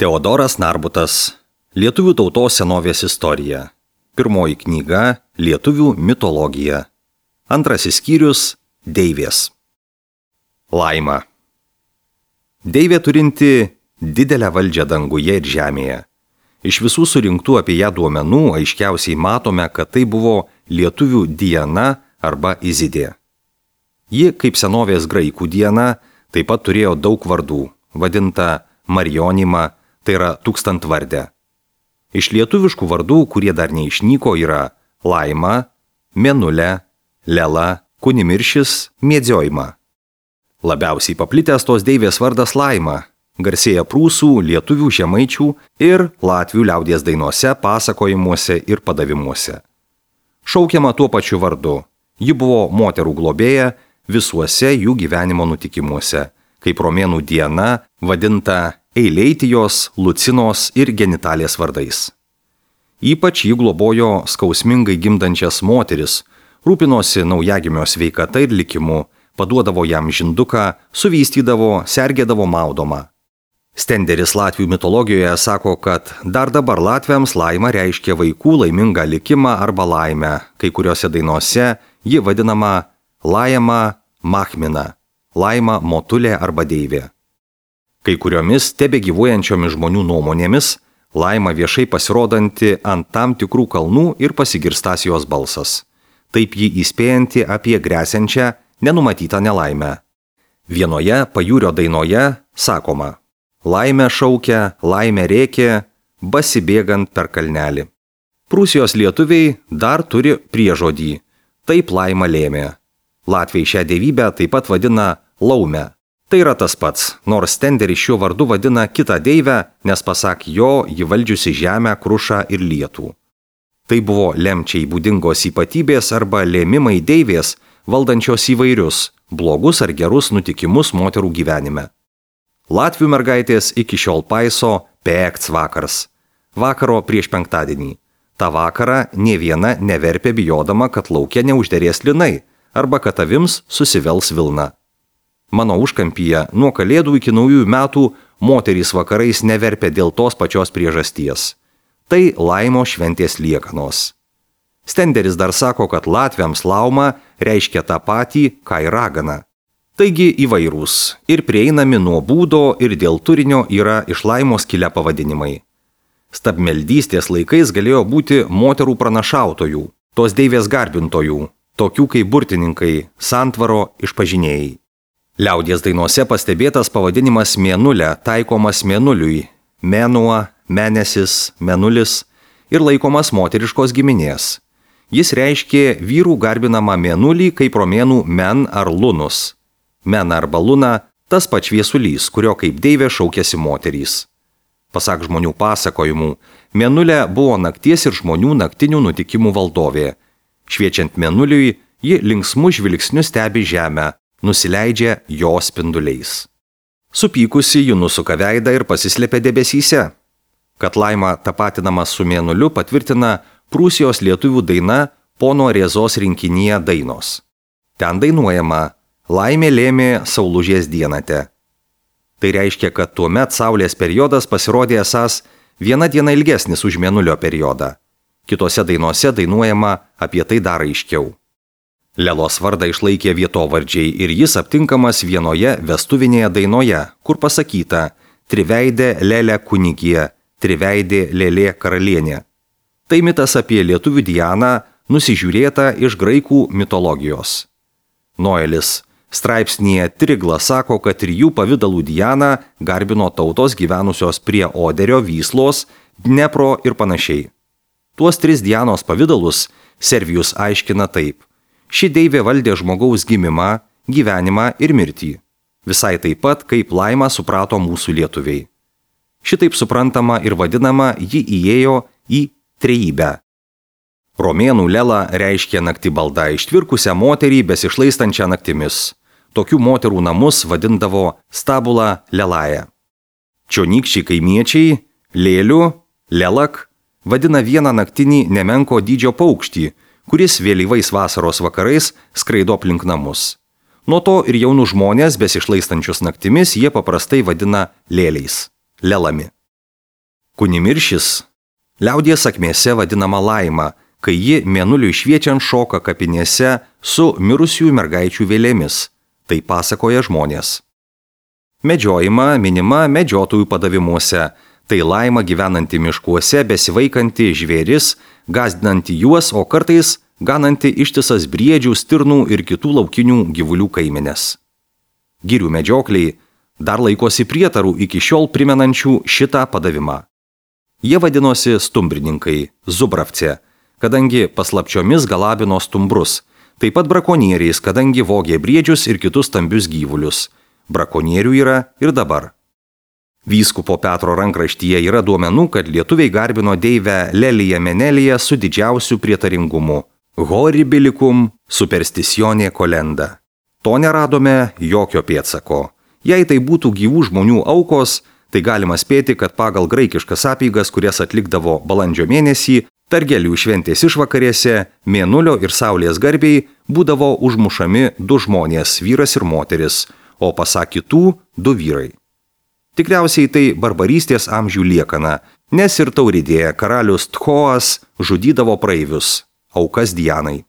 Teodoras Narbutas. Lietuvių tautos senovės istorija. Pirmoji knyga – Lietuvių mitologija. Antrasis skyrius – Deivės. Laima. Deivė turinti didelę valdžią danguje ir žemėje. Iš visų surinktų apie ją duomenų aiškiausiai matome, kad tai buvo lietuvių Diana arba Izidė. Ji, kaip senovės graikų Diana, taip pat turėjo daug vardų, vadinta Marionima, tai yra tūkstantvardė. Iš lietuviškų vardų, kurie dar neišnyko, yra Laima, Mėnulė, Lela, Kunimiršis, Mėdziojima. Labiausiai paplitęs tos deivės vardas Laima, garsėja prūsų, lietuvių, žemaičių ir latvių liaudies dainose, pasakojimuose ir padavimuose. Šaukiama tuo pačiu vardu. Ji buvo moterų globėja visuose jų gyvenimo nutikimuose, kaip romėnų Diana, vadinta Eileitijos, Lucinos ir Genitalės vardais. Ypač jį globojo skausmingai gimdančias moteris, rūpinosi naujagimio sveikata ir likimu, paduodavo jam žinduką, suvystydavo, sergėdavo maudomą. Stenderis Latvių mitologijoje sako, kad dar dabar latviams Laima reiškia vaikų laimingą likimą arba laimę, kai kuriuose dainose ji vadinama Laima Machmina, Laima Motulė arba Deivė. Kai kuriomis tebegyvuojančiomis žmonių nuomonėmis Laima viešai pasirodanti ant tam tikrų kalnų ir pasigirstąs jos balsas. Taip ji įspėjanti apie gresiančią nenumatytą nelaimę. Vienoje pajūrio dainoje sakoma: Laimė šaukia, laimė rėkė, basibėgant per kalnelį. Prūsijos lietuviai dar turi priežodį: taip laima lėmė. Latviai šią dievybę taip pat vadina Laume. Tai yra tas pats, nors Stenderis šiuo vardu vadina kitą deivę, nes pasak jo, ji valdžiusi žemę, krušą ir lietų. Tai buvo lemčiai būdingos ypatybės arba lėmimai deivės, valdančios įvairius, blogus ar gerus nutikimus moterų gyvenime. Latvių mergaitės iki šiol paiso Pekts vakars, vakaro prieš penktadienį. Ta vakarą nė viena neverpė bijodama, kad lauke neužderės linai arba kad avims susivels vilna. Mano užkampyje nuo kalėdų iki naujųjų metų moterys vakarais neverpė dėl tos pačios priežasties. Tai laimo šventės liekanos. Stenderis dar sako, kad latviams lauma reiškia tą patį, ką ir ragana. Taigi įvairūs ir prieinami nuo būdo ir dėl turinio yra iš laimos kilę pavadinimai. Stabmeldystės laikais galėjo būti moterų pranašautojų, tos deivės garbintojų, tokių kaip burtininkai, santvaro išpažinėjai. Liaudies dainose pastebėtas pavadinimas Mėnulė taikomas Mėnuliui, Mėnuo, Mėnesis, Mėnulis ir laikomas moteriškos giminės. Jis reiškė vyrų garbinamą Mėnulį kaip romėnų Men ar Lunus. Men arba Luna – tas pats šviesulys, kurio kaip deivė šaukėsi moterys. Pasak žmonių pasakojimų, Mėnulė buvo nakties ir žmonių naktinių nutikimų valdovė. Šviečiant Mėnuliui, ji linksmų žvilgsnių stebi žemę, nusileidžia jo spinduliais. Supykusi ji nusuka veidą ir pasislėpia debesyse. Kad Laima tapatinama su Mėnuliu patvirtina Prūsijos lietuvių daina Pono Rėzos rinkinyje dainos. Ten dainuojama: Laimė lėmė saulužės dienate. Tai reiškia, kad tuomet saulės periodas pasirodė esąs viena diena ilgesnis už Mėnulio periodą. Kitose dainose dainuojama apie tai dar aiškiau. Lelos vardą išlaikė vietovardžiai ir jis aptinkamas vienoje vestuvinėje dainoje, kur pasakyta: Triveidė Lelė kunigė, triveidė Lėlė karalienė. Tai mitas apie lietuvių Dianą, nusižiūrėta iš graikų mitologijos. Noelis straipsnyje Trigla sako, kad 3 pavydalų Dianą garbino tautos gyvenusios prie Oderio, Vyslos, Dnepro ir panašiai. Tuos 3 Dianos pavydalus Servijus aiškina taip: ši deivė valdė žmogaus gimimą, gyvenimą ir mirtį. Visai taip pat, kaip Laimą suprato mūsų lietuviai. Šitaip suprantama ir vadinama ji įėjo į trejybę. Romėnų Lela reiškia naktį baldą, ištvirkusią moterį besišlaistančią naktimis. Tokių moterų namus vadindavo stabula Lelaja. Čionykščiai kaimiečiai Lėliu, Lelak vadina vieną naktinį nemenko dydžio paukštį, kuris vėlyvais vasaros vakarais skraido aplink namus. Nuo to ir jaunų žmonės besišlaistančius naktimis jie paprastai vadina lėliais, lelami. Kunimiršis liaudies sakmėse vadinama laima, kai ji mėnuliui šviečiant šoka kapinėse su mirusiųjų mergaičių vėlėmis. Tai pasakoja žmonės. Medžiojama minima medžiotojų padavimuose. Tai laima gyvenanti miškuose, besivaikanti žvėris, gąsdinanti juos, o kartais gananti ištisas briedžių, stirnų ir kitų laukinių gyvulių kaimenės. Girių medžiokliai dar laikosi prietarų iki šiol primenančių šitą padavimą. Jie vadinosi stumbrininkai, zubravce, kadangi paslapčiomis galabino stumbrus, taip pat brakonieriais, kadangi vogė briedžius ir kitus stambius gyvulius. Brakonierių yra ir dabar. Vyskupo Petro rankraštyje yra duomenų, kad lietuviai garbino deivę Leliją Meneliją su didžiausiu prietaringumu. Horribilicum superstitionė kolenda. To neradome jokio pėdsako. Jei tai būtų gyvų žmonių aukos, tai galima spėti, kad pagal graikiškas apeigas, kurias atlikdavo balandžio mėnesį, Pergelių šventės išvakarėse, mėnulio ir saulės garbiai būdavo užmušami 2 žmonės, vyras ir moteris, o pasak kitų 2 vyrai. Tikriausiai tai barbarystės amžių liekana, nes ir Tauridėje karalius Tchoas žudydavo praeivius, aukas Dianai.